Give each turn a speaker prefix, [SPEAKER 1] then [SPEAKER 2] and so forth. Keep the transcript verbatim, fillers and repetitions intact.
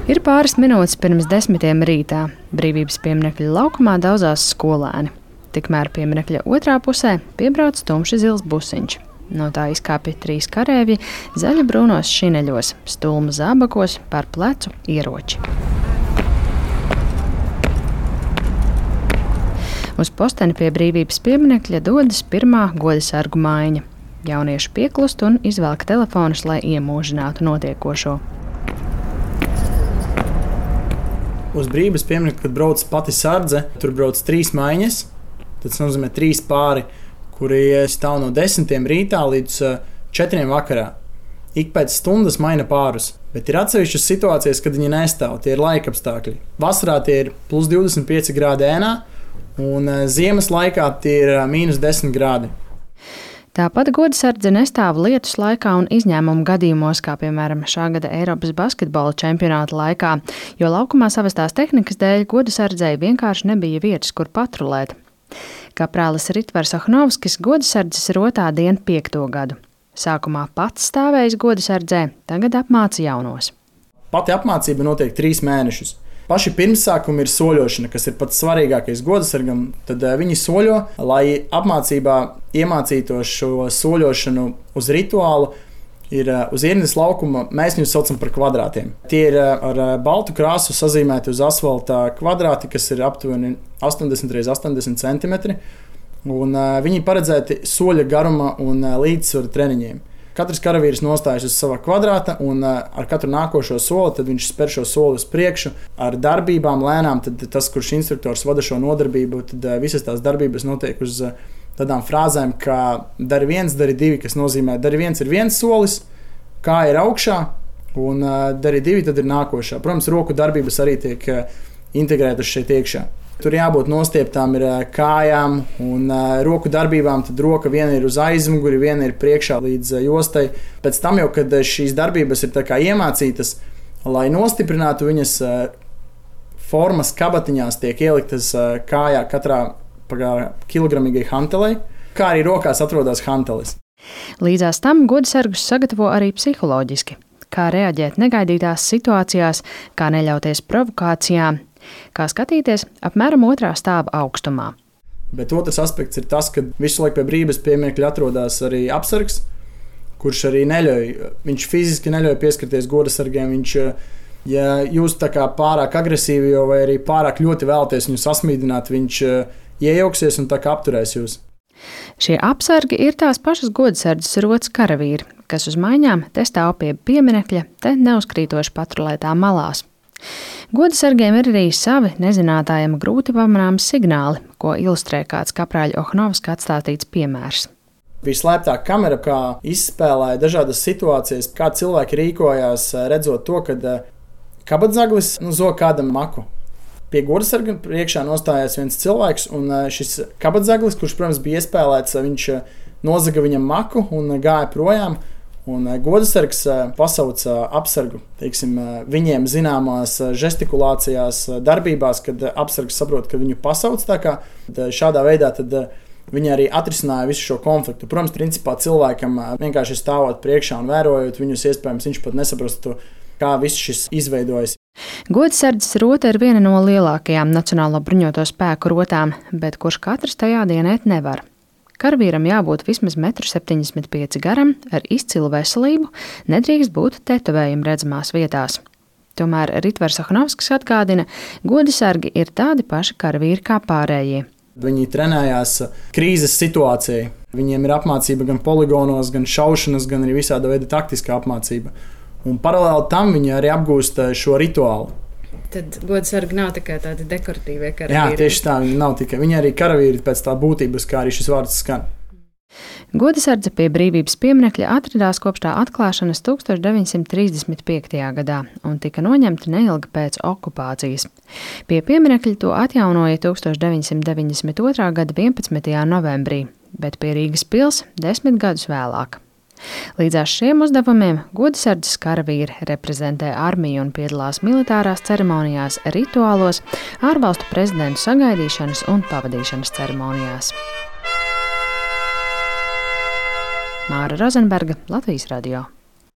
[SPEAKER 1] Ir pāris minūtes pirms desmitiem rītā. Brīvības pieminekļa laukumā daudzās skolēni. Tikmēr pieminekļa otrā pusē piebrauc tumši zils busiņš. No tā izkāpja trīs kareivji zaļa-brūnos šineļos, stulmu zābakos, par plecu ieroči. Uz posteni pie brīvības pieminekļa dodas pirmā godasargu maiņa. Jaunieši pieklust un izvelk telefonus, lai iemūžinātu notiekošo.
[SPEAKER 2] Uz brīvības pieminekļa, kad brauc pati sardze, tur brauc trīs maiņas. Tas nozīmē trīs pāri, kuri stāv no desmitiem rītā līdz četriem vakarā. Ik pēc stundas maina pārus, bet ir atsevišķas situācijas, kad viņi nestāv. Tie ir laikapstākļi. Vasarā tie ir plus divdesmit pieci grādi ēnā, un ziemas laikā tie ir mīnus desmit grādi.
[SPEAKER 1] Tāpat godasardze nestāv lietus laikā un izņēmumu gadījumos, kā piemēram šā gada Eiropas basketbola čempionāta laikā, jo laukumā savestās tehnikas dēļ godasardzei vienkārši nebija vietas, kur patrulēt. Kaprālis Ritvers Ohnovskis godasardzes rotā dienu piekto gadu. Sākumā pats stāvējis godasardzē, tagad apmāca jaunos.
[SPEAKER 2] Pati apmācība notiek trīs mēnešus. Paši pirmsākumi ir soļošana, kas ir pats svarīgākais godasargam. Tad viņi soļo, lai apmācībā iemācītos šo soļošanu uz rituālu. Ir uz ierīnas laukuma, mēs viņus saucam par kvadrātiem. Tie ir ar baltu krāsu sazīmēti uz asfalta kvadrāti, kas ir aptuveni astoņdesmit pret astoņdesmit centimetri. Un viņi paredzēti soļa garuma un līdzsvara treniņiem. Katrs karavīrs nostājas uz sava kvadrāta, un ar katru nākošo soli tad viņš spēr šo soli uz priekšu. Ar darbībām lēnām, tad tas, kurš instruktors vada šo nodarbību, tad visas tās darbības notiek uz tādām frāzēm, kā dari viens, dari divi, kas nozīmē, dari viens ir viens solis, kā ir augšā, un dari divi, tad ir nākošā. Protams, roku darbības arī tiek integrētas šeit iekšā. Tur jābūt nostieptām ir kājām un roku darbībām, tad roka viena ir uz aizmuguri, viena ir priekšā līdz jostai. Pēc tam jau, kad šīs darbības ir tā kā iemācītas, lai nostiprinātu viņas formas kabatiņās, tiek ieliktas kājā katrā kilogramīgai hantelei, kā arī rokās atrodas hantelis.
[SPEAKER 1] Līdzās tam godasargus sagatavo arī psiholoģiski. Kā reaģēt negaidītās situācijās, kā neļauties provokācijām, kā skatīties apmēram otrā stāva augstumā.
[SPEAKER 2] Bet otrs aspekts ir tas, ka visu laiku pie brīvības pieminekļa atrodas arī apsargs, kurš arī neļauj, viņš fiziski neļauj pieskarties godasargiem. Viņš, ja jūs tā kā pārāk agresīvi vai arī pārāk ļoti vēlaties viņu sasmīdināt, viņš iejauksies un tā kā apturēs jūs.
[SPEAKER 1] Šie apsargi ir tās pašas godasardzes rotas karavīri, kas uz maiņām te stāv pie pieminekļa, te neuzkrītoši patrulētā malās. Godasargiem ir arī savi nezinātājiem grūti pamanāmi signāli, ko ilustrē kāds kaprāļa Ohnovska atstātīts piemērs.
[SPEAKER 2] Vislēptā kamera, kā izspēlēja dažādas situācijas, kā cilvēki rīkojās, redzot to, kad kabatzaglis nu, zog kādam maku. Pie godasarga priekšā nostājās viens cilvēks, un šis kabatzaglis, kurš, protams, bija iespēlēts, viņš nozaga viņam maku un gāja projām. Un godasargs pasauca apsargu, teiksim, viņiem zināmās žestikulācijās, darbībās, kad apsargs saprot, ka viņu pasauc tā kā. Šādā veidā tad viņi arī atrisināja visu šo konfliktu. Protams, principā cilvēkam vienkārši stāvot priekšā un vērojot viņus, iespējams, viņš pat nesaprastu, kā viss šis izveidojas.
[SPEAKER 1] Godasardzes rota ir viena no lielākajām Nacionālo bruņoto spēku rotām, bet kurš katrs tajā dienēt nevar. Karavīram jābūt vismaz metru septiņdesmit pieci garam, ar izcilu veselību, nedrīkst būt tetovējumu redzamās vietās. Tomēr Ritvers Ohnovskis atgādina, godasargi ir tādi paši karavīri kā pārējie.
[SPEAKER 2] Viņi trenējās krīzes situācijai. Viņiem ir apmācība gan poligonos, gan šaušanas, gan arī visāda veida taktiskā apmācība. Un paralēli tam viņi arī apgūst šo rituālu.
[SPEAKER 3] Tad godasargi nav tikai tādi dekoratīvie karavīri.
[SPEAKER 2] Jā, tieši tā, viņi nav tikai. Viņi arī karavīri pēc tā būtības, kā arī šis vārds skan.
[SPEAKER 1] Godasardze pie brīvības pieminekļa atradās kopš tā atklāšanas tūkstoš deviņsimt trīsdesmit piektajā gadā un tika noņemta neilgi pēc okupācijas. Pie pieminekļa to atjaunoja tūkstoš deviņsimt deviņdesmit otrā gada vienpadsmitajā novembrī, bet pie Rīgas pils desmit gadus vēlāk. Līdzās šiem uzdevumiem godasardzes karavīri reprezentē armiju un piedalās militārās ceremonijās, rituālos, ārvalstu prezidentu sagaidīšanas un pavadīšanas ceremonijās. Māra Rozenberga, Latvijas radio.